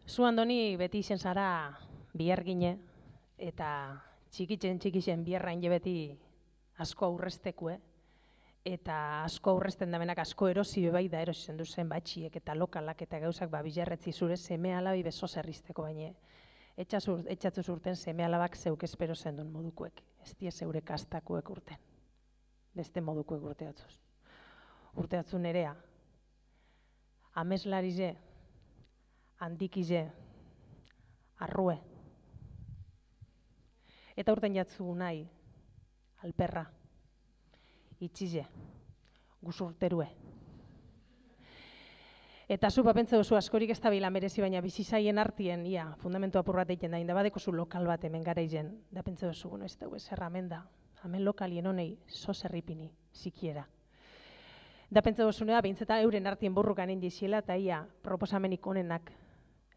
Zu Andoni beti izen zara bihergine eta txikixen biherrain beti asko aurrestekue eta asko aurresten damenak asko erosi bai da erosi zendu zen batxiek eta lokalak eta gauzak bilerretzi zure seme alabi beso zerrizteko baina etxatzu zurten seme alabak zeuk espero zendun modukuek, ez die zeure kastakuek urten, beste modukuek urteatzuz. Urteatzu nerea, ameslarize, handikize, arrue. Eta urten jatzu nahi, alperra, itxize, guzurterue. Eta zu bapentze duzu askorik ez da bila merezi, baina bizizaien artien, ia, fundamentu apur bat egiten da, indabadeko zu lokal bat hemen gara izen, da pentze duzu, ez dugu ezer hemen da, hemen lokalien honei, zerripini, zikiera. Da pentsa duzunea, behintzeta euren artien borrukan indiziela, eta ia, proposamenik onenak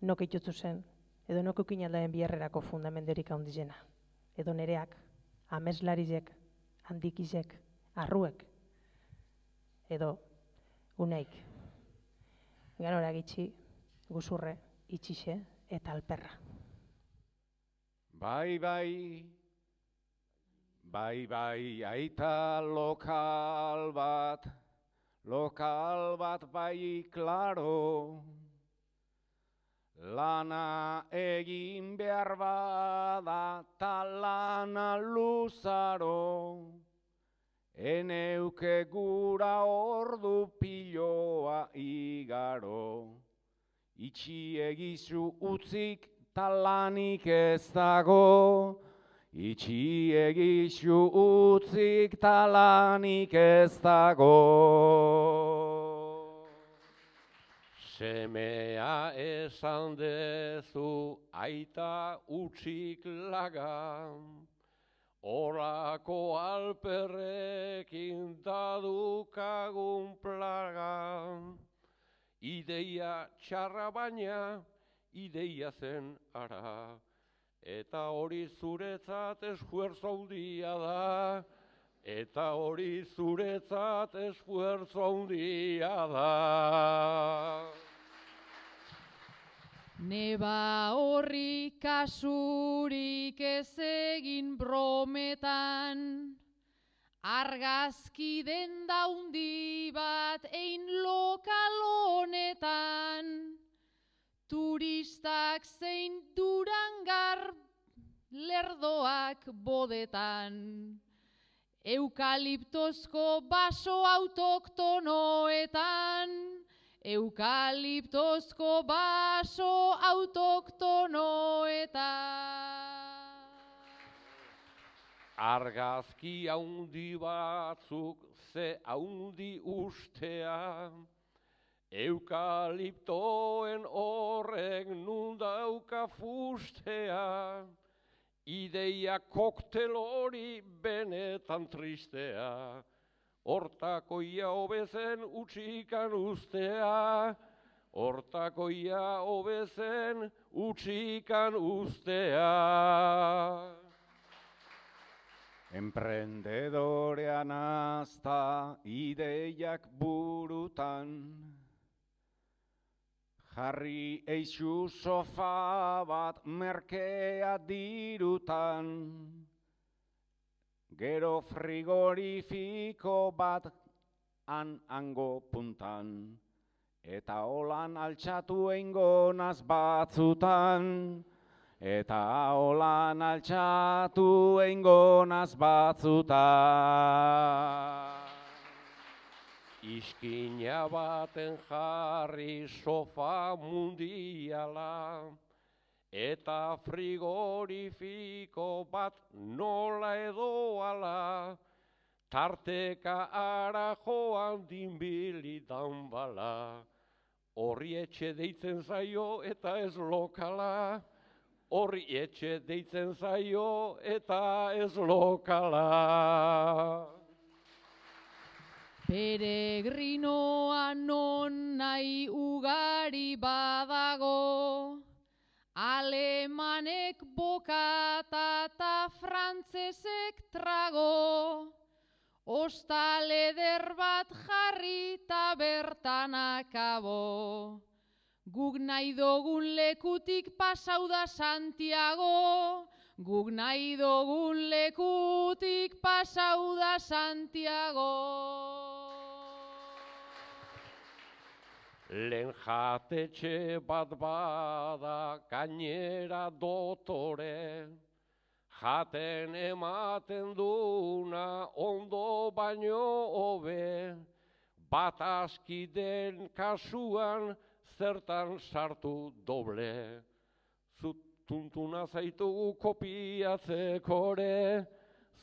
nok itutzu zen, edo nok eukin aldaen biherrerako fundamentorik handizena. Edo nereak, ameslarizek, handikizek, arruek, edo unaik. Ganora gitxi, guzurre, itxixe eta alperra. Bai, aita lokal bat bai klaro, lana egin behar bada ta lana luzaro, eneuke gura ordu piloa igaro, itxi egizu utzik talanik ez dago, itxi egizu utzik talanik ez dago. Semea esan dezu aita utzik lagan, orako alperrekin dadukagun plagan, ideia txarra baina, ideia zen ara, eta hori zuretzat esfuerzo handia da, eta hori zuretzat esfuerzo handia da. Neba horri kasurik ez egin brometan, argazki denda handi bat ein lokal honetan, turistak zein Durangar lerdoak bodetan, eukaliptozko baso autoktonoetan, eukaliptozko baso autoktonoetan. Argazki haundi batzuk ze haundi ustea, eukaliptoen horrek nundauka fustea, ideia koktel hori benetan tristea, hortakoia hobezen utxikan ustea, hortakoia hobezen utxikan ustea. Emprendedorean azta ideiak burutan, jarri eixu sofa bat merkea dirutan, gero frigorifiko bat hango puntan, eta holan altxatu eingonaz batzutan, eta holan altxatu eingonaz batzutan. Iskina baten jarri sofa mundiala, eta frigorifiko bat nola edoala, tarteka ara joan dinbili danbala, horri etxe deitzen zaio eta ez lokala, horri etxe deitzen zaio eta ez lokala. Peregrinoa non nahi ugari badago, alemanek bokata eta frantzesek trago, ostal eder bat jarri eta bertan akabo, Guk nahi dogun lekutik pasau da Santiago, guk nahi dogun lekutik pasau da Santiago. Lehen jatetxe bat bada gainera dotore, jaten ematen duna ondo baino hobe, bat askiden kasuan zertan sartu doble. Zutuntuna zaitugu kopiatzekore,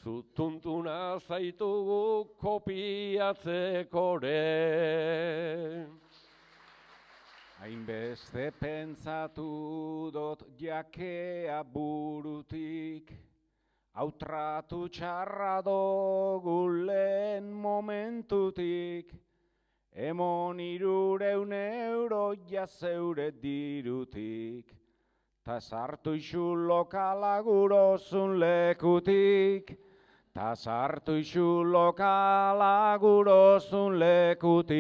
zutuntuna zaitugu kopiatzekore. Hainbeste pentsatu dot jakea burutik, hau tratu txarra dogu lehen momentutik, emon 300 euro jazeure dirutik, ta sartu isu lokala gurozun lekutik, ta sartu isu lokala gurozun lekutik.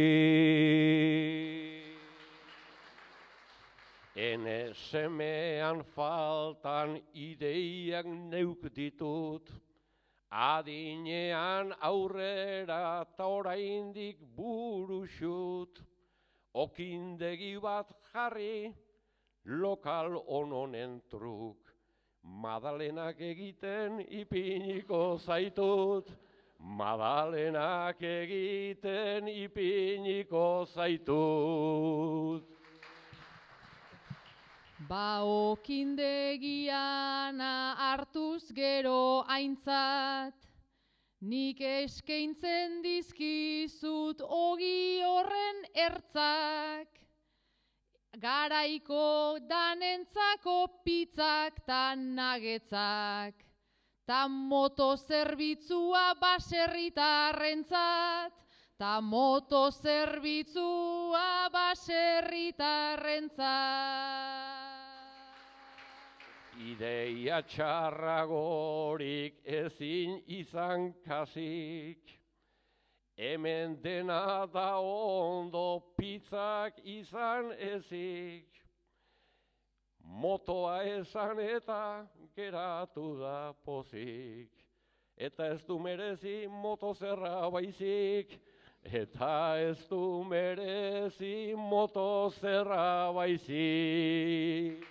Enesemean faltan ideiak neuk ditut, adinean aurrera ta oraindik buruxut, okindegi bat jarri lokal hononen truk, Madalenak egiten ipiniko zaitut, Madalenak egiten ipiniko zaitut. Ba okindegiana hartuz gero aintzat, nik eskaintzen dizkizut ogi horren ertzak, garaiko danentzako pizzak ta nagetzak, ta motozerbitzua baserritarrentzat, ta motozerbitzua baserritarrentzat. Ideia txarragorik ezin izan kasik, hemen dena da ondo pizzak izan ezik. Motoa esan eta geratu da pozik, eta ez du merezi motozerra baizik, eta ez du merezi motozerra baizik.